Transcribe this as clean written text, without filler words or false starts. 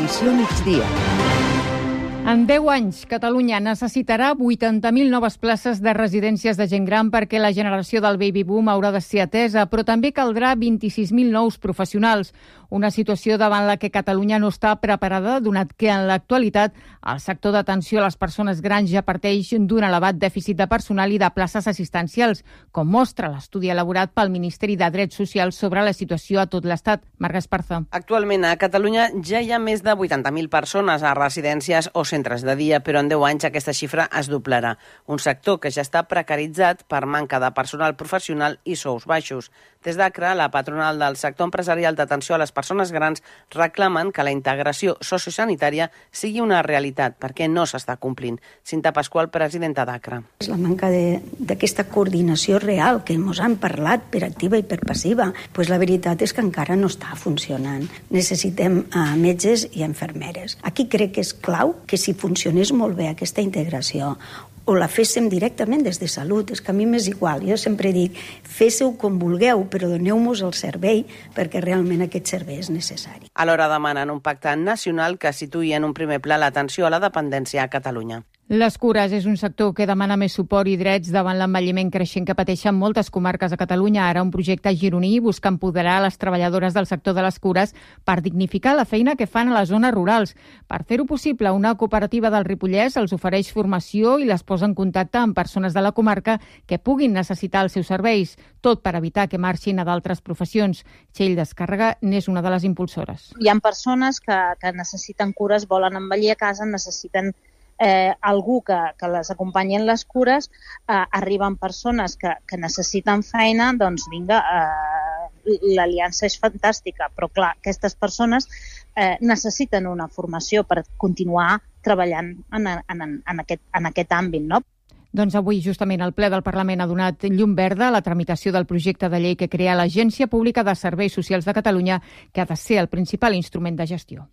Edició migdia. En 10 anys, Catalunya necessitarà 80.000 noves places de residències de gent gran perquè la generació del baby boom haurà de ser atesa, però també caldrà 26.000 nous professionals. Una situació davant la que Catalunya no està preparada, donat que en l'actualitat el sector d'atenció a les persones grans ja parteix d'un elevat dèficit de personal i de places assistencials, com mostra l'estudi elaborat pel Ministeri de Drets Socials sobre la situació a tot l'Estat. Marc Esparza. Actualment a Catalunya ja hi ha més de 80.000 persones a residències o centres de dia, però en 10 anys aquesta xifra es doblarà. Un sector que ja està precaritzat per manca de personal professional i sous baixos. Des d'ACRA, la patronal del sector empresarial d'atenció a les persones grans, reclamen que la integració sociosanitària sigui una realitat, perquè no s'està complint. Cinta Pasqual, presidenta d'ACRA. La manca d'aquesta coordinació real que ens han parlat per activa i per passiva, la veritat és que encara no està funcionant. Necessitem metges i infermeres. Aquí crec que és clau que si funcionés molt bé aquesta integració o la féssim directament des de Salut, és que a mi m'és igual. Jo sempre dic, féssiu com vulgueu, però doneu-nos el servei perquè realment aquest servei és necessari. Alhora demanen un pacte nacional que situï en un primer pla l'atenció a la dependència a Catalunya. Les cures és un sector que demana més suport i drets davant l'envelliment creixent que pateixen moltes comarques a Catalunya. Ara un projecte gironí busca empoderar les treballadores del sector de les cures per dignificar la feina que fan a les zones rurals. Per fer-ho possible, una cooperativa del Ripollès els ofereix formació i les posa en contacte amb persones de la comarca que puguin necessitar els seus serveis, tot per evitar que marxin a d'altres professions. Txell Descàrrega n'és una de les impulsores. Hi ha persones que necessiten cures, volen envellir a casa, necessiten algú que les acompanyi en les cures, arriben persones que necessiten feina, doncs vinga, l'aliança és fantàstica, però clar, aquestes persones necessiten una formació per continuar treballant en aquest àmbit, no? Doncs avui justament el ple del Parlament ha donat llum verda a la tramitació del projecte de llei que crea l'Agència Pública de Serveis Socials de Catalunya, que ha de ser el principal instrument de gestió.